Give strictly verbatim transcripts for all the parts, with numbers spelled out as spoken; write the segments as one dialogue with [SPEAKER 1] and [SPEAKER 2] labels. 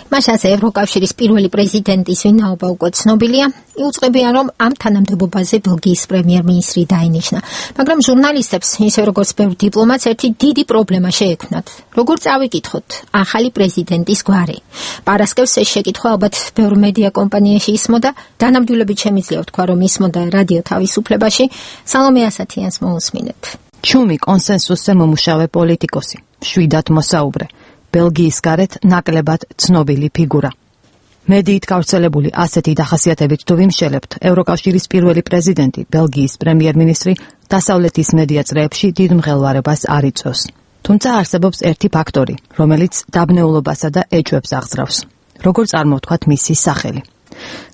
[SPEAKER 1] მას ასე ევროკავშირის პირველი პრეზიდენტის ვინაობა უკვე ცნობილია. იუწყებიან, რომ ამ თანამდებობაზე ბელგიის პრემიერ-მინისტრი დაინიშნა. მაგრამ ჟურნალისტებს, ისე როგორც ბევრ დიპლომატს, ერთი დიდი პრობლემა შეექმნათ. როგორ წავიკითხოთ ახალი პრეზიდენტის გვარი? პარასკევს ეს შეკითხვა ალბათ ბევრ მედია კომპანიაში ისმოდა, დანამდვილებით შემიძლია ვთქვა, რომ ისმოდა რადიო თავისუფლებაში. სალომე ასათიანს მოусმინეთ.
[SPEAKER 2] ჩუმი კონსენსუსზე მომუშავე პოლიტიკოსი, შვიდად მოსაუბრე. ბელგიის გარეთ ნაკლებად ცნობილი ფიგურა. მედიით გავრცელებული ასეთი დახასიათებით თუ ვიმშელებთ, ევროკავშირის პირველი პრეზიდენტი, ბელგიის პრემიერ-მინისტრი დასავლეთის მედია წრეებში დიდ მღელვარებას არ იწვევს. თუმცა არსებობს ერთი ფაქტორი, რომელიც დაბნეულობასა და ეჭვებს აღძრავს. როგორ წარმოვთქვათ მისი სახელი?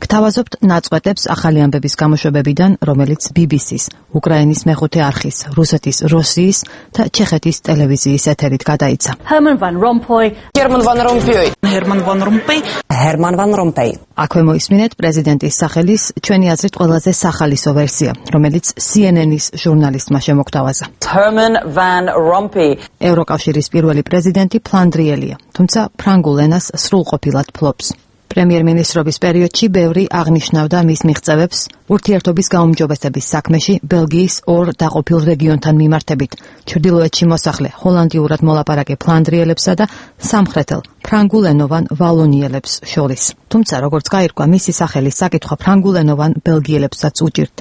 [SPEAKER 2] გთავაზობთ ნაწყვეტებს ახალი ამბების გამოშვებებიდან, რომელიც ბი ბი სის, უკრაინის მეხუთე არხის, რუსეთის როსიის და ჩეხეთის ტელევიზიის ეთერით გადაიცა.
[SPEAKER 3] Herman van Rompuy,
[SPEAKER 4] Herman van Rompuy,
[SPEAKER 3] Herman van Rompuy,
[SPEAKER 4] Herman van Rompuy.
[SPEAKER 2] აქვე მოისმინეთ პრეზიდენტის სახელის ჩვენი აზრით ყველაზე სახალისო ვერსია, რომელიც სი ენ ენის ჟურნალისტმა შემოგთავაზა.
[SPEAKER 4] Herman van Rompuy.
[SPEAKER 2] ევროკავშირის პირველი პრეზიდენტი ფლანდრიელია, თუმცა ფრანგულ ენას სრულყოფილად ფლობს. პრემიერ-მინისტრობის პერიოდში ბევრი აღნიშნავდა მის მიღწევებს ურთიერთობის გაუმჯობესების საქმეში ბელგიის ორ დაყოფილ რეგიონთან მიმართებით, ჩრდილოეთში მოსახლე ჰოლანდიურად მოლაპარაკე ფლანდრიელებსა და სამხრეთელ ფრანგულენოვან ვალონიელებს შორის. თუმცა, როგორც გაირკვა, მისი სახელის საკითხვა ფრანგულენოვან ბელგიელებსაც უჭირთ.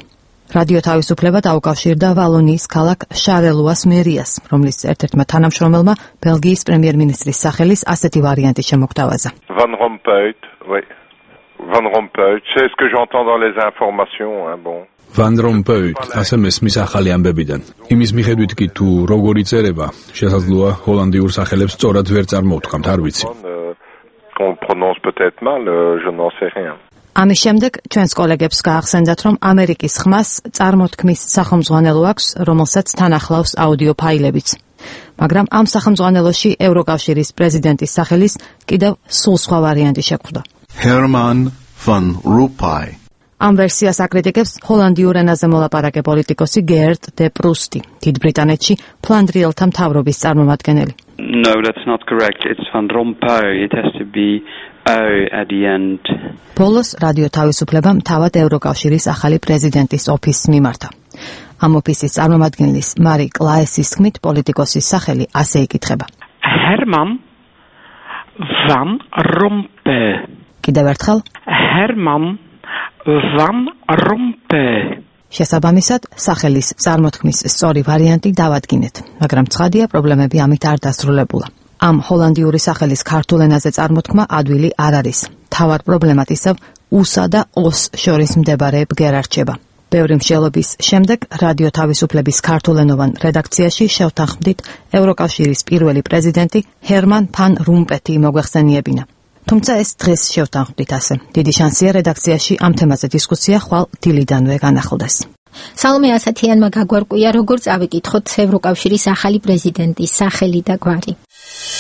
[SPEAKER 2] რადიო თავისუფლება დაუკავშირდა ვალონიის ქალაქ შარელუას მერიას, რომლის ერთ-ერთმა თანამშრომელმა ბელგიის პრემიერ-მინისტრის სახელის ასეთი ვარიანტი შემოგთავაზა.
[SPEAKER 5] Van Rompuy, oui. Van Rompuy, c'est ce que j'entends dans les informations, hein, bon.
[SPEAKER 6] Van Rompuy, ასე მესმის ახალი ამბებიდან. იმის მიხედვით კი თუ როგორ იწერება, შესაძლოა ჰოლანდიურ სახელებს სწორად ვერ წარმოვთქვამთ, არ ვიცი.
[SPEAKER 5] On prononce peut-être mal, je n'en sais rien.
[SPEAKER 2] ამის შემდეგ ჩვენს კოლეგებს გაახსენდათ, რომ ამერიკის ხმას წარმოთქმის სახელმძღვანელო აქვს, რომელსაც თან ახლავს აუდიო ფაილებიც. მაგრამ ამ სახელმძღვანელოში ევროკავშირის პრეზიდენტის სახელის კიდევ სულ სხვა ვარიანტი შეგვხვდა.
[SPEAKER 7] Herman van Rompuy.
[SPEAKER 2] ამ ვერსიას აკრიტიკებს ჰოლანდიურ ენაზე მოლაპარაკე პოლიტიკოსი გერტ დე პრუსტი, დიდ ბრიტანეთში ფლანდრიელთა მთავრობის წარმომადგენელი.
[SPEAKER 8] No, that's not correct. It's Van Rompuy. It has to be O at the end.
[SPEAKER 2] ბოლოს რადიო თავისუფლებამ თავად ევროკავშირის ახალი პრეზიდენტის ოფისს მიმართა. ამ ოფისის წარმომადგენლის მარი კლაესის თქმით, პოლიტიკოსის სახელი ასე იკითხება.
[SPEAKER 9] Herman van Rompuy.
[SPEAKER 2] კიდევ ერთხელ
[SPEAKER 9] Herman van Rompuy.
[SPEAKER 2] შესაბამისად, სახელის წარმოთქმის სწორი ვარიანტი დავადგინეთ, მაგრამ ცხადია, პრობლემები ამით არ დასრულებულა. ამ ჰოლანდიური სახელის ქართულ ენაზე წარმოთქმა ადვილი არ არის. თავად პრობლემად ისევ უსა და ოს შორის მდებარე ბგერა რჩება. ბევრი მსჯელობის შემდეგ რადიო თავისუფლების ქართულენოვან რედაქციაში შევთანხმდით ევროკავშირის პირველი პრეზიდენტი ჰერმან ფან რომპეი მოგვეხსენიებინა. თუმცა ეს დღეს შევთანხმდით ასე. დიდი შანსია რედაქციაში ამ თემაზე დისკუსია ხვალ დილიდანვე განახლდეს.
[SPEAKER 1] სალომე ასათიანმა გაგვარკვია, როგორ წავიკითხოთ ევროკავშირის ახალი პრეზიდენტის სახელი და გვარი.